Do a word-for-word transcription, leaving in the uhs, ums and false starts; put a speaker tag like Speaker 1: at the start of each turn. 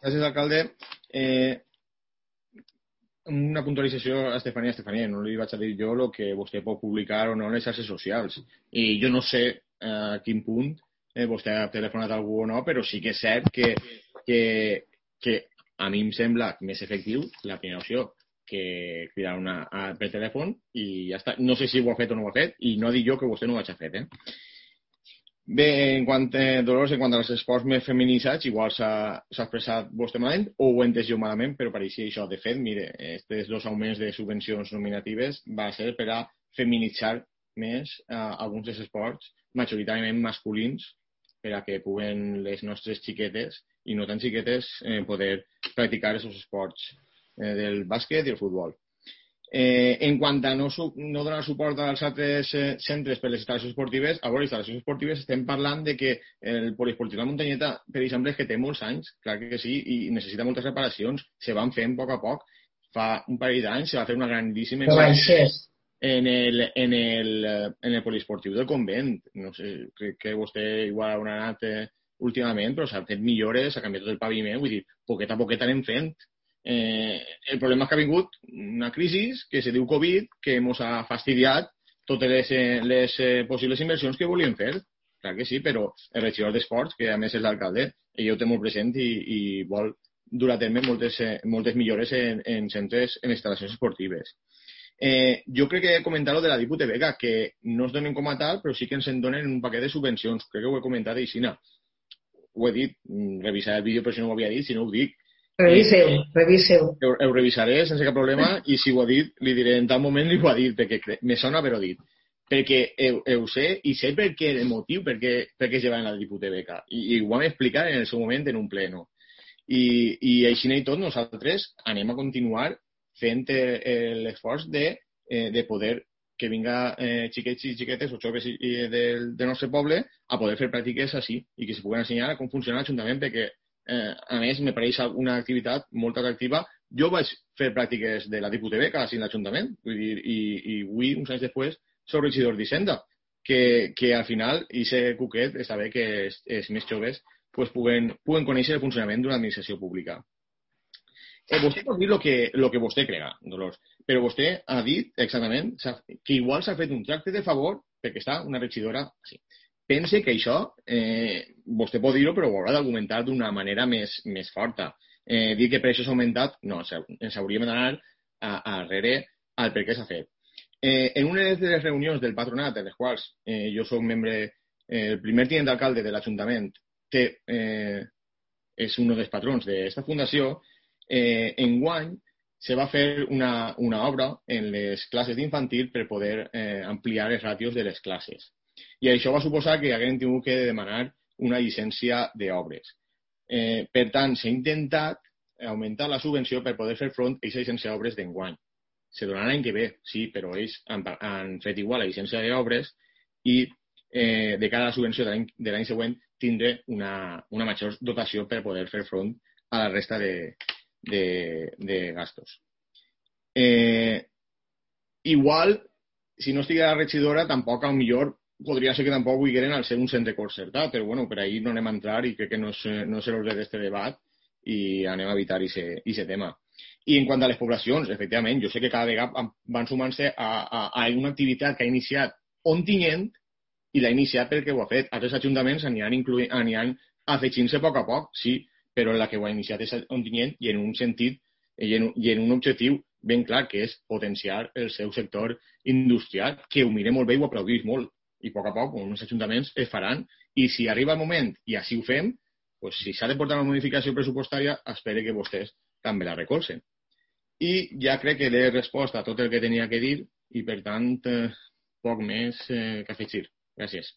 Speaker 1: Gràcies, alcalde. Eh, una puntualització a Estefania. Estefania, no li vaig a dir jo el que vostè pot publicar o no en les xarxes socials. I jo no sé a quin punt eh, vostè ha telefonat a algú o no, però sí que és cert que, que, que a mi em sembla més efectiu la primera opció que cridar una, a, per telèfon i ja està. No sé si ho ha fet o no ho ha fet i no dic jo que vostè no ho hagi fet, eh? Bé, en quant a Dolors, en quant als esports més feminitzats, igual s'ha expressat vostè malament o ho he entès jo malament, però pareixia això. De fet, mire, aquests dos augments de subvencions nominatives va ser per a feminitzar més eh, alguns dels esports majoritàriament masculins per a que puguen les nostres xiquetes i no tan xiquetes eh, poder practicar aquests esports eh, del bàsquet i el futbol. Eh, en quant a no, no donar suport als altres eh, centres per les instal·lacions esportives, a veure, les instal·lacions esportives estem parlant de que el poliesportiu de la Muntanyeta, per exemple, és que té molts anys, clar que sí, i necessita moltes reparacions, se van fent a poc a poc. Fa un parell d'anys se va fer una grandíssima en el, en el, en el poliesportiu del convent. No sé, crec que vostè igual haurà anat eh, últimament, però s'ha fet millores, s'ha canviat tot el paviment, vull dir, poquet a poquet anem fent. Eh, el problema és que ha vingut una crisi que se diu Covid, que ens ha fastidiat totes les, les eh, possibles inversions que volíem fer. Clar que sí, però el regidor d'Esports, que a més és l'alcalde, ell ho té molt present i, i vol dur a terme moltes, eh, moltes millores en, en centres, en instal·lacions esportives. Eh, jo crec que he comentat lo de la Dipute Beca, que no es donen com a tal, però sí que ens en donen un paquet de subvencions. Crec que ho he comentat així. Ho he dit, revisar el vídeo, però si no ho havia dit, si no ho dic.
Speaker 2: Reviseu, reviseu.
Speaker 1: Ho, ho revisaré sense cap problema i si ho ha dit, li diré en tal moment li ho ha dit, perquè me sona però dit. Perquè ho, ho sé i sé per què el motiu per què, per què es lleva en la Dipute Beca. I, i ho vam explicar en el seu moment en un pleno. I, i així i tot nosaltres anem a continuar fent l'esforç de, de poder que vinga eh, xiquets i xiquetes o joves i, i del, del nostre poble a poder fer pràctiques així i que se puguen ensenyar com funciona l'Ajuntament, perquè eh, a més me pareix una activitat molt atractiva. Jo vaig fer pràctiques de la Dipute Beca així en l'Ajuntament, vull dir, i, i avui, uns anys després, soc regidor d'Hisenda, que, que al final, i ser cuquet, és saber que els, els més joves pues, puguen, puguen conèixer el funcionament d'una administració pública. Eh, vostè pot dir el que, lo que vostè crega, Dolors, però vostè ha dit exactament que igual s'ha fet un tracte de favor perquè està una regidora així. Pense que això, eh, vostè pot dir-ho, però ho haurà d'argumentar d'una manera més, més forta. Eh, dir que per això s'ha augmentat, no, ens hauríem d'anar a, a darrere al per què s'ha fet. Eh, en una de les reunions del patronat, en les quals eh, jo soc membre, eh, el primer tinent d'alcalde de l'Ajuntament, que eh, és un dels patrons d'aquesta fundació, Eh, enguany se va fer una, una obra en les classes d'infantil per poder eh, ampliar les ràtios de les classes. I això va suposar que haguem tingut que demanar una llicència d'obres. Eh, per tant, s'ha intentat augmentar la subvenció per poder fer front a aquesta llicència d'obres d'enguany. Se donarà l'any que ve, sí, però ells han, han fet igual la llicència d'obres i eh, de cara a la subvenció de l'any següent tindré una, una major dotació per poder fer front a la resta de De, de gastos. Eh, igual, si no estiguera la regidora, tampoc, a lo millor, podria ser que tampoc vulgueren al ser un centre concertat, però bueno, per ahí no anem a entrar i crec que no és, no és l'ordre d'aquest debat i anem a evitar aquest tema. I en quant a les poblacions, efectivament, jo sé que cada vegada van sumant-se a, a, a una activitat que ha iniciat Ontinyent i l'ha iniciat perquè ho ha fet. Altres ajuntaments aniran, aniran afegint-se a poc a poc, sí, però la que ho ha iniciat és Ontinyent i en un sentit i en, i en un objectiu ben clar, que és potenciar el seu sector industrial, que ho mire molt bé i ho aplaudís molt. I a poc a poc, uns ajuntaments es faran, i si arriba el moment i així ho fem, doncs si s'ha de portar una modificació pressupostària, espero que vostès també la recolzen. I ja crec que l'he respost a tot el que tenia que dir i, per tant, eh, poc més eh, que afegir. Gràcies.